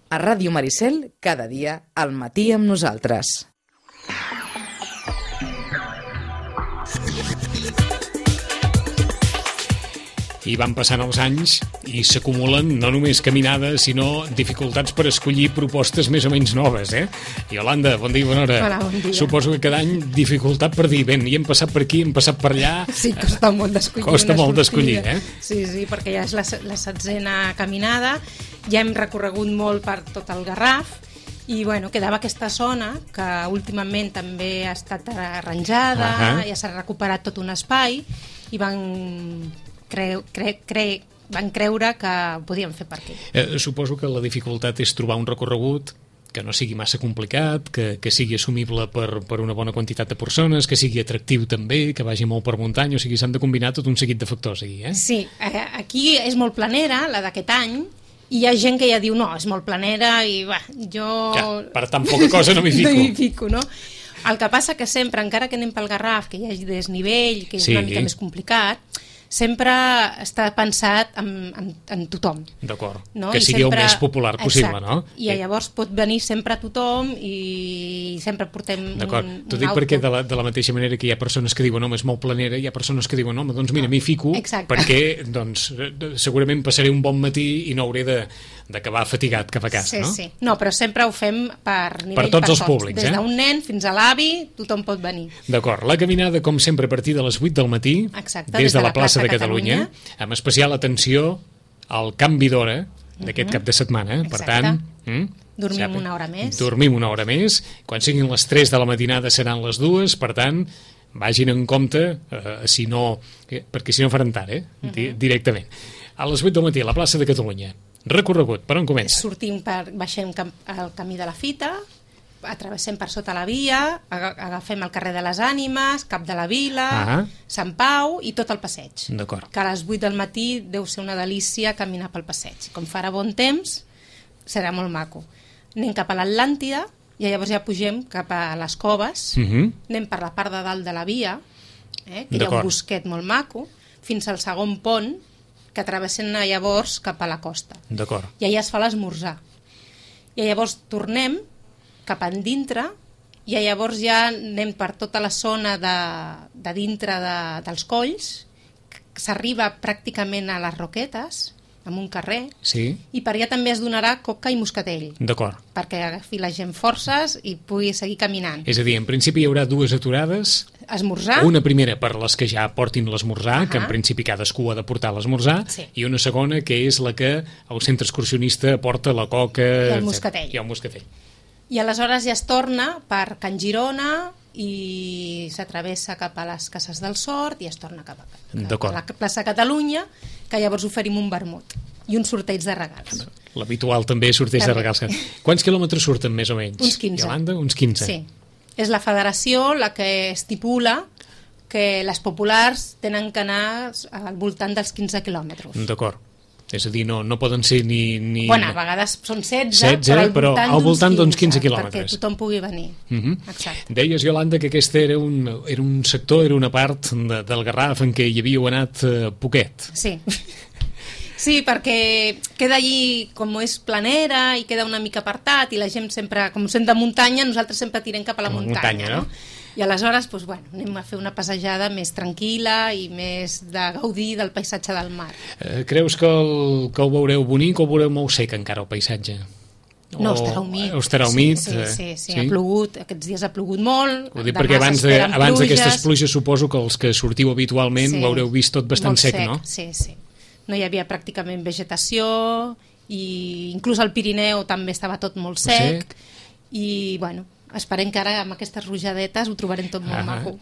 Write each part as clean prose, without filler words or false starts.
A Ràdio Maricel, cada dia, al matí amb nosaltres. I van passant els anys i s'acumulen no només caminades, sinó dificultats per escollir propostes més o menys noves, Iolanda, bon dia i bona hora. Hola, bon dia. Suposo que cada any dificultat per dir, i hem passat per aquí, hem passat per allà... Sí, costa molt d'escollir. Costa molt d'escollir, Sí, perquè ja és la 7a caminada, ja hem recorregut molt per tot el Garraf, i quedava aquesta zona que últimament també ha estat arranjada, ja s'ha recuperat tot un espai, i van creure que ho podíem fer per aquí. Suposo que la dificultat és trobar un recorregut que no sigui massa complicat, que sigui assumible per una bona quantitat de persones, que sigui atractiu també, que vagi molt per muntanya, o sigui, s'han de combinar tot un seguit de factors aquí, Sí, aquí és molt planera, la d'aquest any, i hi ha gent que ja diu, no, és molt planera i jo... Ja, per tan poca cosa no m'hi fico. No m'hi fico, no? El que passa que sempre, encara que anem pel Garraf, que hi hagi desnivell, que és una mica més complicat, sempre està pensat en tothom. D'acord, no? Que sigui sempre... el més popular possible, no? I llavors pot venir sempre tothom i sempre portem un auto. T'ho dic perquè de la mateixa manera que hi ha persones que diuen home, és molt planera, hi ha persones que diuen home, doncs mira, m'hi fico, perquè doncs, segurament passaré un bon matí i no hauré d'acabar fatigat cap a casa, no? Sí. No, però sempre ho fem per nivell, per tots els públics, des d'un nen fins a l'avi, tothom pot venir. D'acord, la caminada, com sempre, a partir de les 8 del matí, des de la plaça de Catalunya, amb especial atenció al canvi d'hora d'aquest cap de setmana. Per tant, dormim una hora més. Dormim una hora més. Quan siguin les 3 de la matinada seran les 2, per tant, vagin en compte, perquè si no faran tard, directament. A les 8 del matí, a la plaça de Catalunya. Recorregut, per on comença? Baixem el camí de la Fita, travessem per sota la via, agafem el carrer de les Ànimes, Cap de la Vila, Sant Pau i tot el passeig. D'acord. Que a les 8 del matí deu ser una delícia caminar pel passeig. Com farà bon temps, serà molt maco. Anem cap a l'Atlàntida i llavors ja pugem cap a les Coves, anem per la part de dalt de la via, que hi ha un bosquet molt maco, fins al segon pont, que travessem llavors cap a la costa. D'acord. I allà es fa l'esmorzar. I llavors tornem cap endintre i llavors ja anem per tota la zona de dintre dels colls, s'arriba pràcticament a les Roquetes, amb un carrer, i per allà també es donarà coca i moscatell. D'acord. Perquè agafi la gent forces i pugui seguir caminant. És a dir, en principi hi haurà 2 aturades. Esmorzar. Una primera per les que ja portin l'esmorzar, que en principi cadascú ha de portar l'esmorzar, i una segona que és la que el centre excursionista porta la coca i el moscatell. I aleshores ja es torna per Can Girona i s'atravessa cap a les Cases del Sort i es torna cap a la plaça Catalunya, que llavors oferim un vermut i un sorteig de regals. L'habitual també sorteig de regals. Quants quilòmetres surten més o menys? Uns 15. Iolanda, uns 15. Sí. És la federació la que estipula que les populars tenen que anar al voltant dels 15 quilòmetres. D'acord. És a dir, no poden ser ni... Bueno, a vegades són 16 però al voltant d'uns 15 quilòmetres. Perquè tothom pugui venir. Exacte. Deies, Iolanda, que aquest era un sector, era una part del Garraf en què hi havíeu anat poquet. Sí. Sí, perquè queda allí, com és planera i queda una mica apartat i la gent sempre, com sent de muntanya, nosaltres sempre tirem cap a la muntanya, no? I aleshores, anem a fer una passejada més tranquil·la i més de gaudir del paisatge del mar. Creus que ho veureu bonic o ho veureu molt sec encara, el paisatge? No, estarà humit. Estarà humit? Sí, ha plogut, aquests dies ha plogut molt. Ho dic perquè abans d'aquestes pluges suposo que els que sortiu habitualment ho haureu vist tot bastant sec, no? Sí. No hi havia pràcticament vegetació i inclús al Pirineu també estava tot molt sec i, esperem que ara amb aquestes rujadetes ho trobarem tot molt maco.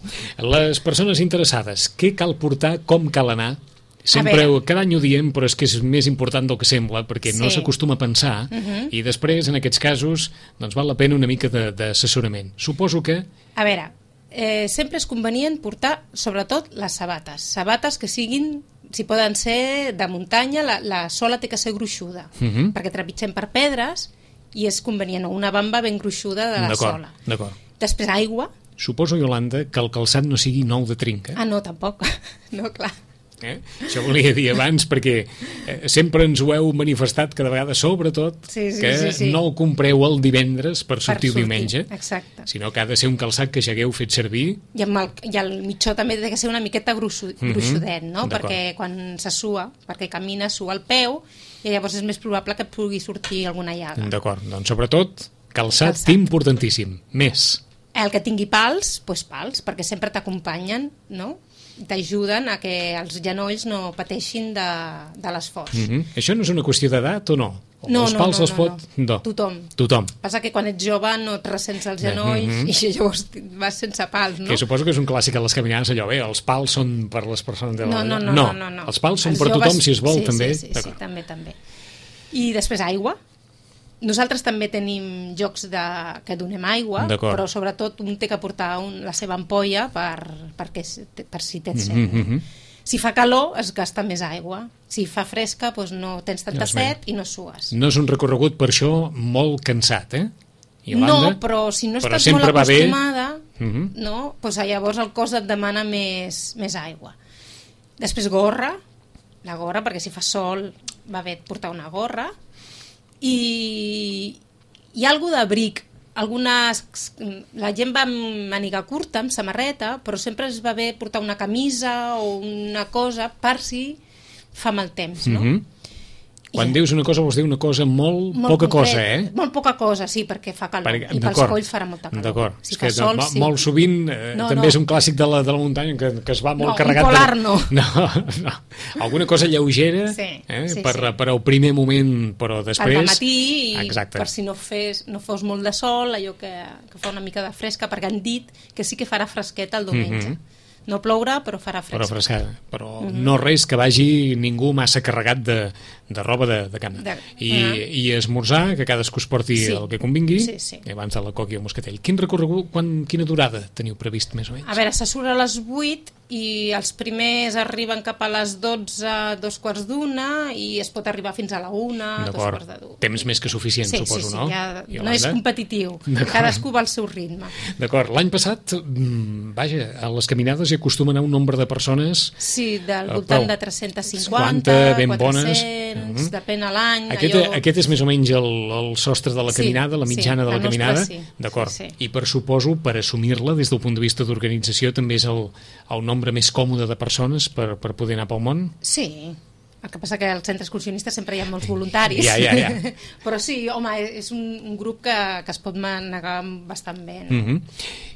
Les persones interessades, què cal portar, com cal anar? Sempre, cada any ho diem, però és que és més important del que sembla, perquè no s'acostuma a pensar, i després, en aquests casos, doncs val la pena una mica d'assessorament. Suposo que... A veure, sempre és convenient portar, sobretot, les sabates que siguin, si poden ser de muntanya, la sola té que ser gruixuda, perquè trepitgem per pedres, i és convenient, una bamba ben gruixuda de la sola. D'acord. Després aigua. Suposo, Iolanda, que el calçat no sigui nou de trinca. No, tampoc. No, clar. Això volia dir abans, perquè sempre ens ho heu manifestat cada vegada, sobretot, que no el compreu el divendres per sortir el diumenge, sinó que ha de ser un calçat que ja hagueu fet servir. I el mitjó també ha de ser una miqueta gruixudet, no? Perquè quan se sua, perquè camina, sua el peu, i llavors és més probable que et pugui sortir alguna llaga. D'acord, doncs sobretot calçat importantíssim. Més. El que tingui pals, doncs pals, perquè sempre t'acompanyen, no? T'ajuden a que els genolls no pateixin de l'esforç. Això no és una qüestió d'edat o no? No, els pals els pot... No. Tothom. Passa que quan ets jove no et ressents els genolls i llavors vas sense pals, no? Que suposo que és un clàssic a les caminades, allò, els pals són per les persones de l'edat. No. Els pals són per tothom, si es vol, també. Sí, també. I després aigua. Nosaltres també tenim jocs que donem aigua, però sobretot un té que portar la seva ampolla per si tens set. Si fa calor es gasta més aigua, si fa fresca doncs no tens tanta set i no sues. No és un recorregut per això molt cansat, Iolanda? No, però si no estàs molt acostumada, doncs llavors el cos et demana més aigua. Després la gorra, perquè si fa sol va bé portar una gorra, i hi ha alguna d'abric. La gent va amb màniga curta, amb samarreta, però sempre es va bé portar una camisa o una cosa per si fa mal temps, no? Quan dius una cosa vols dir una cosa molt poca cosa, Molt poca cosa, sí, perquè fa calor. I pels colls farà molta calor. D'acord. Si fa sol, sí. Molt sovint també és un clàssic de la muntanya que es va molt carregat. Un polar no. No. Alguna cosa lleugera per al primer moment, però després... Per matí, per si no fos molt de sol, allò que fa una mica de fresca, perquè han dit que sí que farà fresqueta el diumenge. No plourà, però farà fresca. Però no res que vagi ningú massa carregat de roba de camp. I esmorzar, que cadascú es porti el que convingui, abans de la coca i el moscatell. Quin recorregut, quina durada teniu previst, més o menys? A veure, se surt a les 8 i els primers arriben cap a les 12, 2:45, i es pot arribar fins a la 1, 2:45. Temps més que suficient, suposo, no? Sí, no és competitiu. Cadascú va al seu ritme. D'acord. L'any passat, vaja, a les caminades hi acostuma a anar un nombre de persones... Sí, del voltant de 350, ben 400, bones. Depèn a l'any. Aquest és més o menys el sostre de la caminada, la mitjana de la caminada? D'acord. I suposo, per assumir-la des del punt de vista d'organització, també és el nombre més còmode de persones per poder anar pel món? Sí. El que passa que al centre excursionista sempre hi ha molts voluntaris. Ja. Però sí, home, és un grup que es pot manegar bastant bé.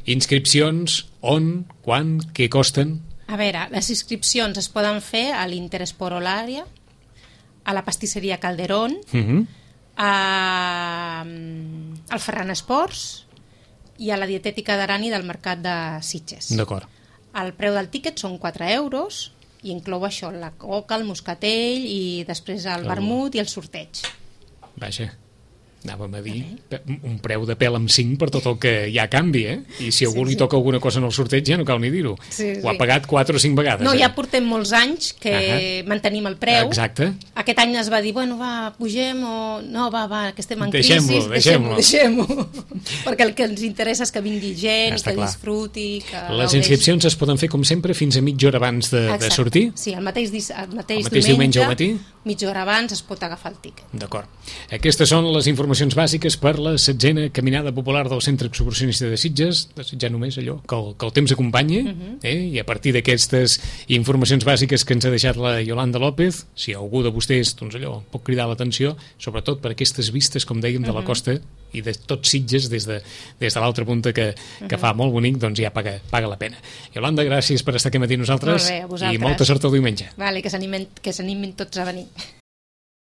Inscripcions, on, quan, què costen? A veure, les inscripcions es poden fer a l'Interesport Olària, a la pastisseria Calderón, al Ferran Esports i a la dietètica d'Arani del Mercat de Sitges. D'acord. El preu del tíquet són 4 euros i inclou això, la coca, el moscatell i després el vermut i el sorteig. Vaja, anàvem a dir un preu de pèl amb 5 per tot el que hi ha canvi, I si a algú li toca alguna cosa en el sorteig ja no cal ni dir-ho. Ho ha pagat 4 o 5 vegades. No, ja portem molts anys que mantenim el preu. Exacte. Aquest any es va dir, pugem o... No, que estem en crisi. Deixem-ho. Perquè el que ens interessa és que vingui gent, que disfruti... Les inscripcions es poden fer, com sempre, fins a mitja hora abans de sortir? Sí, el mateix diumenge al matí? Mitja hora abans es pot agafar el tíquet. D'acord. Aquestes són les informacions bàsiques per la 16a Caminada Popular del Centre Excursionista de Sitges. Desitjar només allò, que el temps acompanyi, i a partir d'aquestes informacions bàsiques que ens ha deixat la Iolanda López, si algú de vostès, pot cridar l'atenció, sobretot per aquestes vistes, com dèiem, de la costa i de tots Sitges des de l'altra punta que fa molt bonic, doncs ja paga la pena. Iolanda, gràcies per estar aquí matí nosaltres. Molt bé, a vosaltres. I molta sort el diumenge. Vale, que s'animin tots a venir.